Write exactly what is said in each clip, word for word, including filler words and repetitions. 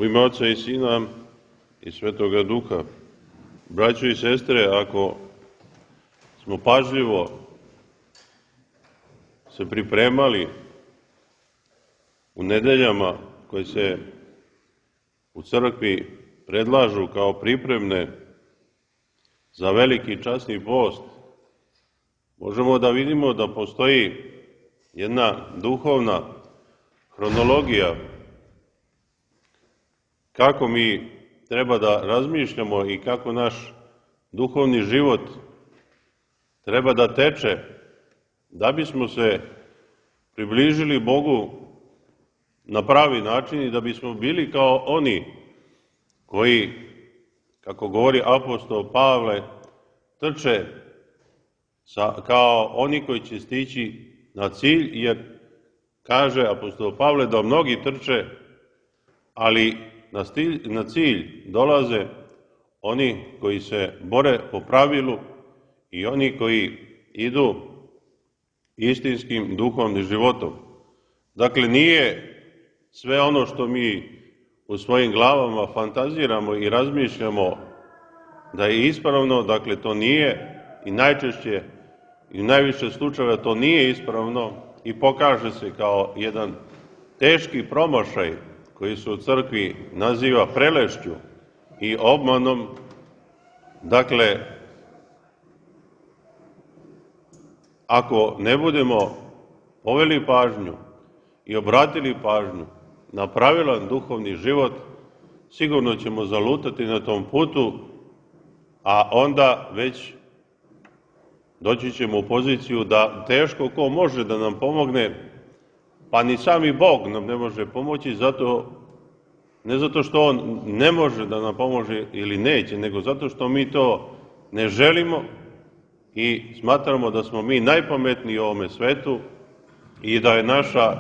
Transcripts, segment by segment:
U ime Oca i Sina i Svetoga Duha. Braćo i sestre, ako smo pažljivo se pripremali u nedeljama koje se u crkvi predlažu kao pripremne za veliki časni post, možemo da vidimo da postoji jedna duhovna hronologija kako mi treba da razmišljamo i kako naš duhovni život treba da teče da bismo se približili Bogu na pravi način i da bismo bili kao oni koji, kako govori apostol Pavle, trče sa, kao oni koji će stići na cilj, jer kaže apostol Pavle da mnogi trče, ali na, stilj, na cilj dolaze oni koji se bore po pravilu i oni koji idu istinskim duhovnim životom. Dakle, nije sve ono što mi u svojim glavama fantaziramo i razmišljamo da je ispravno, dakle to nije i najčešće i u najviše slučajeva to nije ispravno i pokaže se kao jedan teški promašaj koji se u crkvi naziva prelešću i obmanom. Dakle, ako ne budemo poveli pažnju i obratili pažnju na pravilan duhovni život, sigurno ćemo zalutati na tom putu, a onda već doći ćemo u poziciju da teško ko može da nam pomogne, pa ni sami Bog nam ne može pomoći, zato, ne zato što On ne može da nam pomože ili neće, nego zato što mi to ne želimo i smatramo da smo mi najpametniji u ovome svetu i da je naša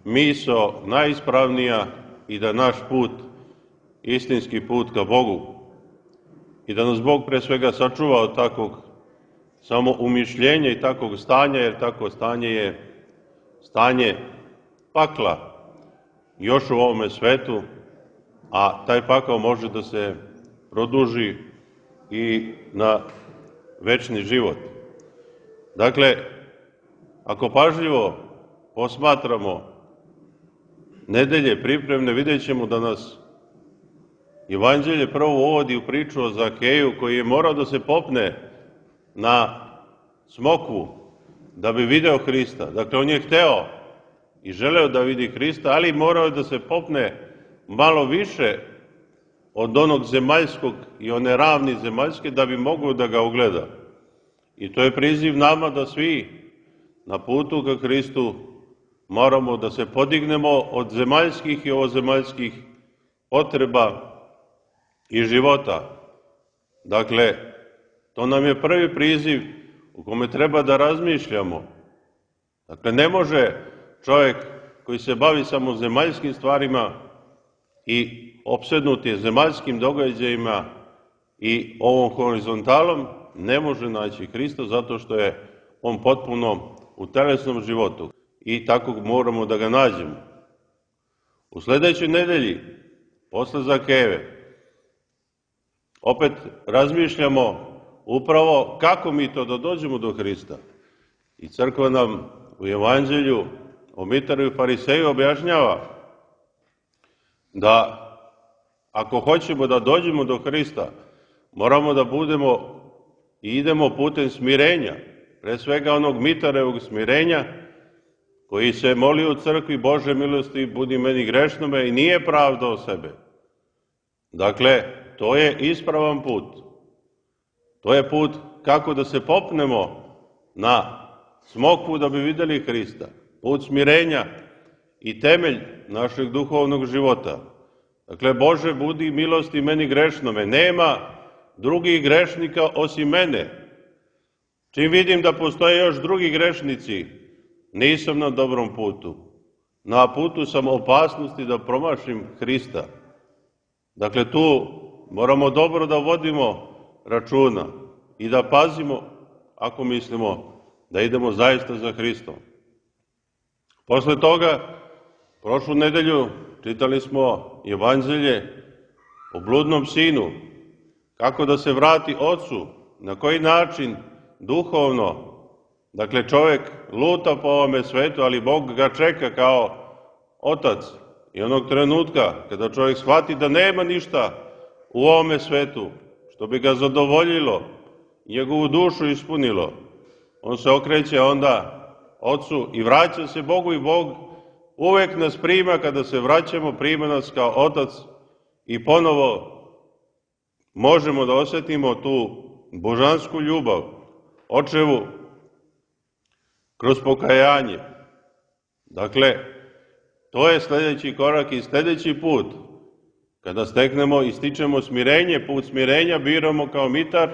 misao najispravnija i da naš put, istinski put ka Bogu. I da nas Bog pre svega sačuva od takvog samo umišljenja i takvog stanja, jer takvo stanje je stanje pakla još u ovome svetu, a taj pakao može da se produži i na večni život. Dakle, ako pažljivo posmatramo nedelje pripremne, vidjet ćemo da nas Evanđelje prvo uvodi u priču o Zakeju, koji je morao da se popne na smokvu da bi video Hrista. Dakle, on je hteo i želeo da vidi Hrista, ali morao je da se popne malo više od onog zemaljskog i one ravni zemaljske da bi mogao da ga ugleda. I to je priziv nama da svi na putu ka Hristu moramo da se podignemo od zemaljskih i ovozemaljskih potreba i života. Dakle, to nam je prvi priziv u kome treba da razmišljamo. Dakle, ne može čovjek koji se bavi samo zemaljskim stvarima i opsednut je zemaljskim događajima i ovom horizontalom, ne može naći Hrista zato što je on potpuno u telesnom životu i tako moramo da ga nađemo. U sledećoj nedelji, posle Zakejeve, opet razmišljamo upravo kako mi to da dođemo do Hrista. I crkva nam u Evanđelju o Mitaru i Fariseju objašnjava da ako hoćemo da dođemo do Hrista, moramo da budemo i idemo putem smirenja, pre svega onog Mitarevog smirenja, koji se moli u crkvi: Bože milosti, budi meni grešnome, i nije pravdao sebe. Dakle, to je ispravan put. To je put kako da se popnemo na smokvu da bi videli Hrista. Put smirenja i temelj našeg duhovnog života. Dakle, Bože, budi milosti meni grešnome. Nema drugih grešnika osim mene. Čim vidim da postoje još drugi grešnici, nisam na dobrom putu. Na putu sam opasnosti da promašim Hrista. Dakle, tu moramo dobro da vodimo računa i da pazimo ako mislimo da idemo zaista za Hristom. Posle toga, prošlu nedelju čitali smo evanđelje o bludnom sinu, kako da se vrati ocu, na koji način duhovno, dakle čovjek luta po ovome svetu, ali Bog ga čeka kao otac. I onog trenutka kada čovjek shvati da nema ništa u ovome svetu što bi ga zadovoljilo, njegovu dušu ispunilo, on se okreće onda ocu i vraća se Bogu i Bog uvek nas prima, kada se vraćamo, prima nas kao otac i ponovo možemo da osjetimo tu božansku ljubav, očevu, kroz pokajanje. Dakle, to je sljedeći korak i sljedeći put. Kada steknemo i stičemo smirenje, put smirenja biramo kao mitar,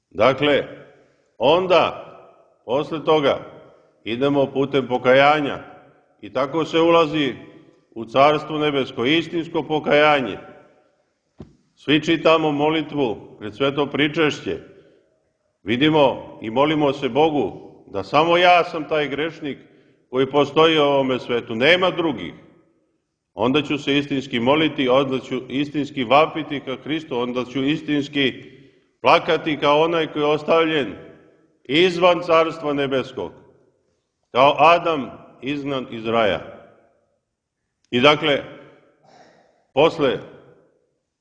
dakle, onda, posle toga, idemo putem pokajanja i tako se ulazi u Carstvo nebesko, istinsko pokajanje. Svi čitamo molitvu pred sveto pričešće, vidimo i molimo se Bogu da samo ja sam taj grešnik koji postoji u ovome svetu, nema drugih. Onda ću se istinski moliti, onda ću istinski vapiti ka Hristu, onda ću istinski plakati kao onaj koji je ostavljen izvan Carstva nebeskog, kao Adam izgnan iz raja. I dakle, posle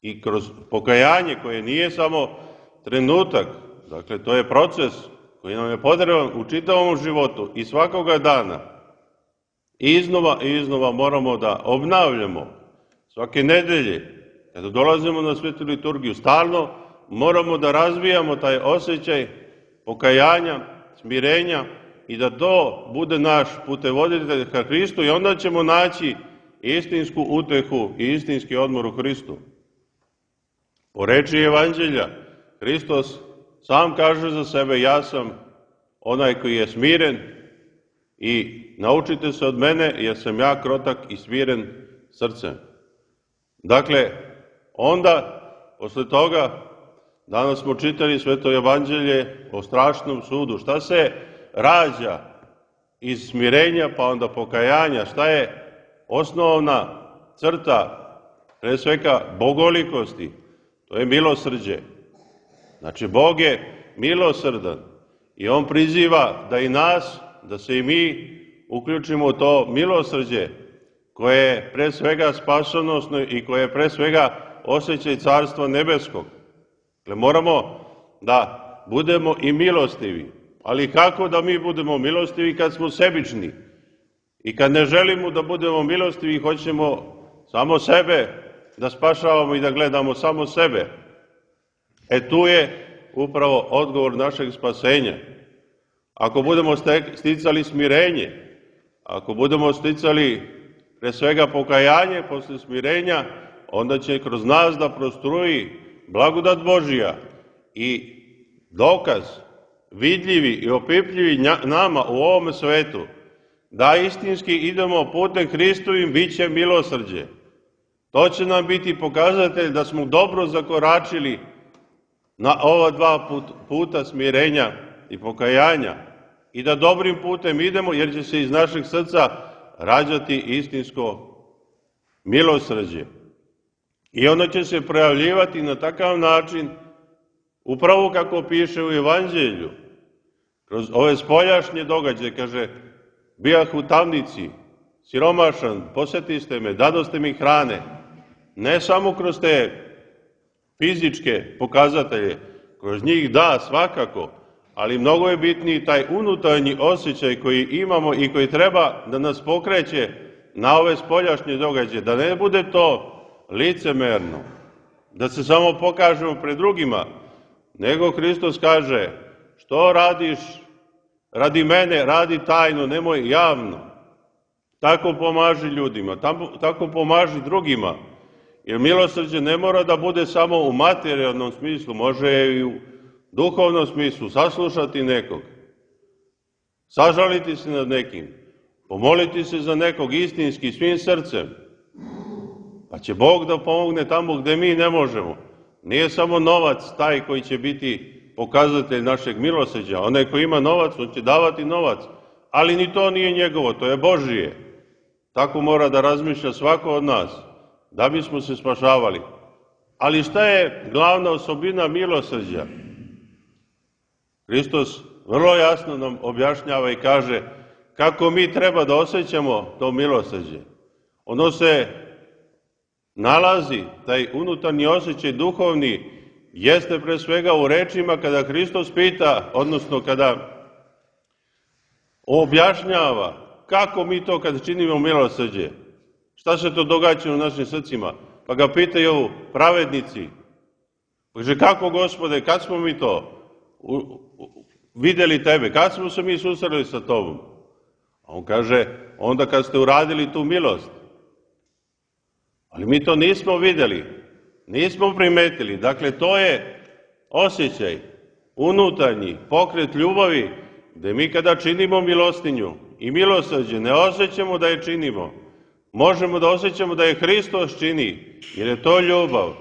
i kroz pokajanje koje nije samo trenutak, dakle to je proces koji nam je potreban u čitavom životu i svakoga dana, i iznova i iznova moramo da obnavljamo svake nedelje, kada dolazimo na svetu liturgiju, stalno moramo da razvijamo taj osjećaj pokajanja, smirenja i da to bude naš putevoditelj ka Hristu i onda ćemo naći istinsku utehu i istinski odmor u Hristu. Po reči evanđelja, Hristos sam kaže za sebe, ja sam onaj koji je smiren i naučite se od mene jer sam ja krotak i smiren srcem. Dakle, onda, posle toga, danas smo čitali sveto evanđelje o strašnom sudu. Šta se rađa iz smirenja pa onda pokajanja? Šta je osnovna crta, pre svega bogolikosti? To je milosrđe. Znači, Bog je milosrdan i On priziva da i nas, da se i mi uključimo u to milosrđe koje je pre svega spasonosno i koje je pre svega osjećaj Carstva nebeskog. Dakle, moramo da budemo i milostivi. Ali kako da mi budemo milostivi kad smo sebični? I kad ne želimo da budemo milostivi, hoćemo samo sebe da spašavamo i da gledamo samo sebe. E tu je upravo odgovor našeg spasenja. Ako budemo sticali smirenje, ako budemo sticali pre svega pokajanje posle smirenja, onda će kroz nas da prostruji blagodat Božija i dokaz vidljivi i opipljivi nama u ovom svetu da istinski idemo putem Hristovim, bit će milosrđe. To će nam biti pokazatelj da smo dobro zakoračili na ova dva puta smirenja i pokajanja i da dobrim putem idemo, jer će se iz našeg srca rađati istinsko milosrđe. I ono će se projavljivati na takav način, upravo kako piše u Evanđelju, kroz ove spoljašnje događaje, kaže, bijah u tamnici, siromašan, posetiste me, dadoste mi hrane, ne samo kroz te fizičke pokazatelje, kroz njih da, svakako, ali mnogo je bitniji taj unutarnji osjećaj koji imamo i koji treba da nas pokreće na ove spoljašnje događaje, da ne bude to licemerno, da se samo pokažemo pred drugima, nego Hristos kaže, što radiš radi mene, radi tajno, nemoj javno. Tako pomaži ljudima, tako pomaži drugima, jer milosrđe ne mora da bude samo u materijalnom smislu, može i u duhovnom smislu, saslušati nekog, sažaliti se nad nekim, pomoliti se za nekog istinski, svim srcem, pa će Bog da pomogne tamo gde mi ne možemo. Nije samo novac taj koji će biti pokazatelj našeg milosrđa. Onaj koji ima novac, on će davati novac, ali ni to nije njegovo, to je Božije. Tako mora da razmišlja svako od nas. da bismo se spašavali. Ali šta je glavna osobina milosrđa? Hristos vrlo jasno nam objašnjava i kaže kako mi treba da osjećamo to milosrđe. Ono se nalazi, taj unutarnji osjećaj duhovni, jeste pre svega u rečima kada Hristos pita, odnosno kada objašnjava kako mi to kad činimo milosrđe, šta se to događa u našim srcima. Pa ga pitaju pravednici, kaže kako Gospode, kad smo mi to vidjeli tebe, kad smo se mi susreli sa tobom? A on kaže, onda kad ste uradili tu milost. Ali mi to nismo vidjeli, nismo primetili. Dakle, to je osjećaj, unutarnji pokret ljubavi, gde mi kada činimo milostinju i milosrđe, ne osjećamo da je činimo. Možemo da osjećamo da je Hristos čini, jer je to ljubav.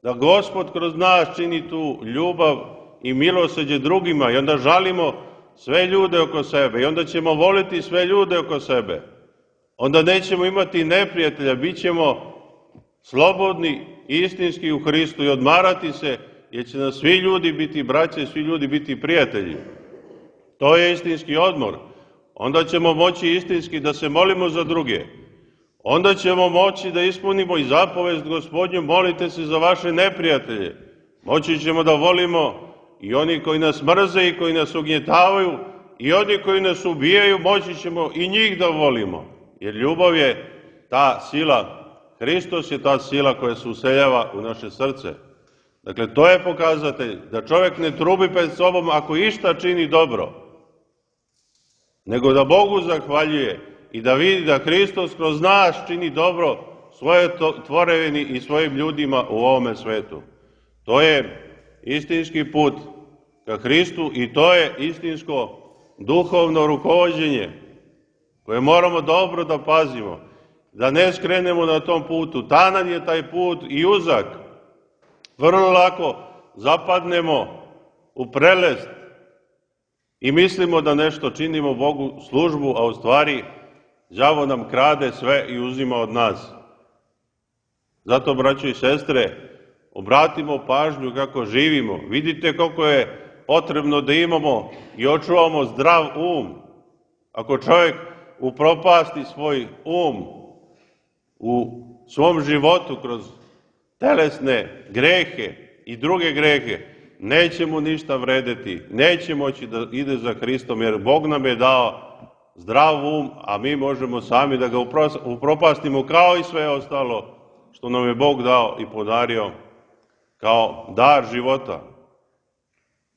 Da Gospod kroz nas čini tu ljubav i milosrđe drugima i onda žalimo sve ljude oko sebe i onda ćemo voliti sve ljude oko sebe. Onda nećemo imati neprijatelja, bit ćemo slobodni, istinski u Hristu i odmarati se, jer će nas svi ljudi biti braće i svi ljudi biti prijatelji. To je istinski odmor. Onda ćemo moći istinski da se molimo za druge. Onda ćemo moći da ispunimo i zapovest Gospodnju, molite se za vaše neprijatelje. Moći ćemo da volimo i oni koji nas mrze i koji nas ugnjetavaju i oni koji nas ubijaju, moći ćemo i njih da volimo. Jer ljubav je ta sila, Hristos je ta sila koja se useljava u naše srce. Dakle, to je pokazatelj da čovjek ne trubi pred sobom ako išta čini dobro, nego da Bogu zahvaljuje i da vidi da Hristos kroz nas čini dobro svoje tvorevini i svojim ljudima u ovome svetu. To je istinski put ka Hristu i to je istinsko duhovno rukovođenje koje moramo dobro da pazimo, da ne skrenemo na tom putu. Tanan je taj put i uzak. Vrlo lako zapadnemo u prelest i mislimo da nešto činimo Bogu službu, a u stvari đavo nam krade sve i uzima od nas. Zato, braćo i sestre, obratimo pažnju kako živimo. Vidite koliko je potrebno da imamo i očuvamo zdrav um. Ako čovjek upropasti svoj um u svom životu kroz telesne grehe i druge grehe, neće mu ništa vredeti, neće moći da ide za Hristom, jer Bog nam je dao zdrav um, a mi možemo sami da ga upropastimo kao i sve ostalo što nam je Bog dao i podario kao dar života.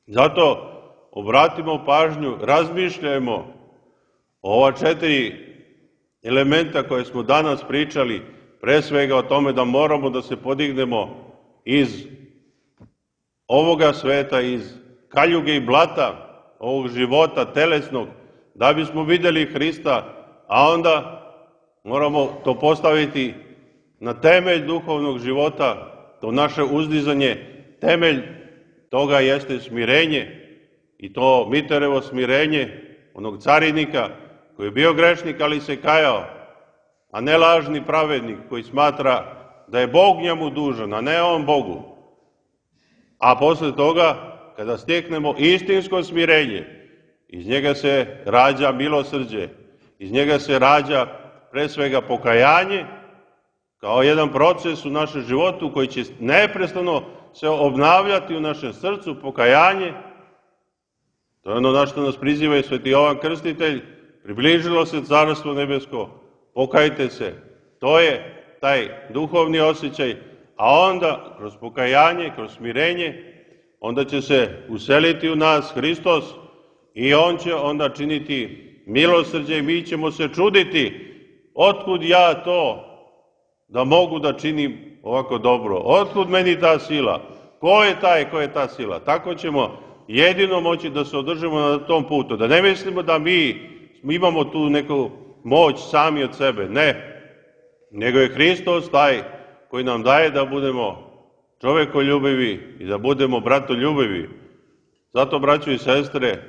Zato obratimo pažnju, razmišljajmo o ova četiri elementa koje smo danas pričali, pre svega o tome da moramo da se podignemo iz ovoga sveta, iz kaljuge i blata ovog života telesnog, da bismo vidjeli Hrista, a onda moramo to postaviti na temelj duhovnog života, to naše uzdizanje, temelj toga jeste smirenje i to Miterevo smirenje, onog carinika koji je bio grešnik, ali se kajao, a ne lažni pravednik koji smatra da je Bog njemu dužan, a ne on Bogu. A posle toga, kada steknemo istinsko smirenje, iz njega se rađa milosrđe, iz njega se rađa pre svega pokajanje, kao jedan proces u našem životu koji će neprestano se obnavljati u našem srcu, pokajanje. To je ono na što nas priziva i sveti Jovan Krstitelj, približilo se Carstvo nebesko, pokajte se. To je taj duhovni osjećaj, a onda kroz pokajanje, kroz smirenje, onda će se useliti u nas Hristos i on će onda činiti milosrđe i mi ćemo se čuditi otkud ja to da mogu da činim ovako dobro, otkud meni ta sila, ko je taj, ko je ta sila. Tako ćemo jedino moći da se održimo na tom putu, da ne mislimo da mi imamo tu neku moć sami od sebe, ne, nego je Hristos taj koji nam daje da budemo čovekoljubivi i da budemo bratoljubivi. Zato, braćo i sestre,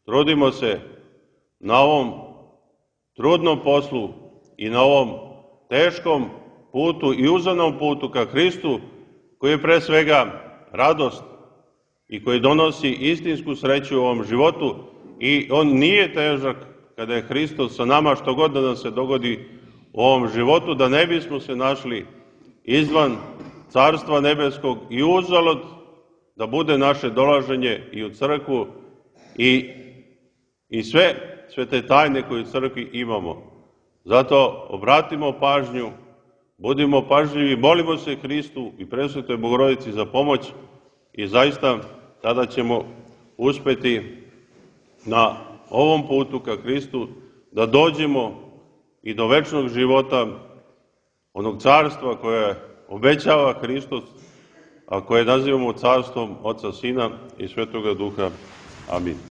trudimo se na ovom trudnom poslu i na ovom teškom putu i uzanom putu ka Hristu, koji je pre svega radost i koji donosi istinsku sreću u ovom životu, i on nije težak kada je Hristos sa nama, što god da nam se dogodi u ovom životu, da ne bismo se našli izvan Carstva nebeskog i uzalud da bude naše dolaženje i u crkvu i, i sve, sve te tajne koje u crkvi imamo. Zato obratimo pažnju, budimo pažljivi, molimo se Hristu i Presvetoj Bogorodici za pomoć i zaista tada ćemo uspeti na ovom putu ka Hristu da dođemo i do večnog života, onog carstva koje obećava Hristos, a koje nazivamo carstvom Oca, Sina i Svetoga Duha. Amin.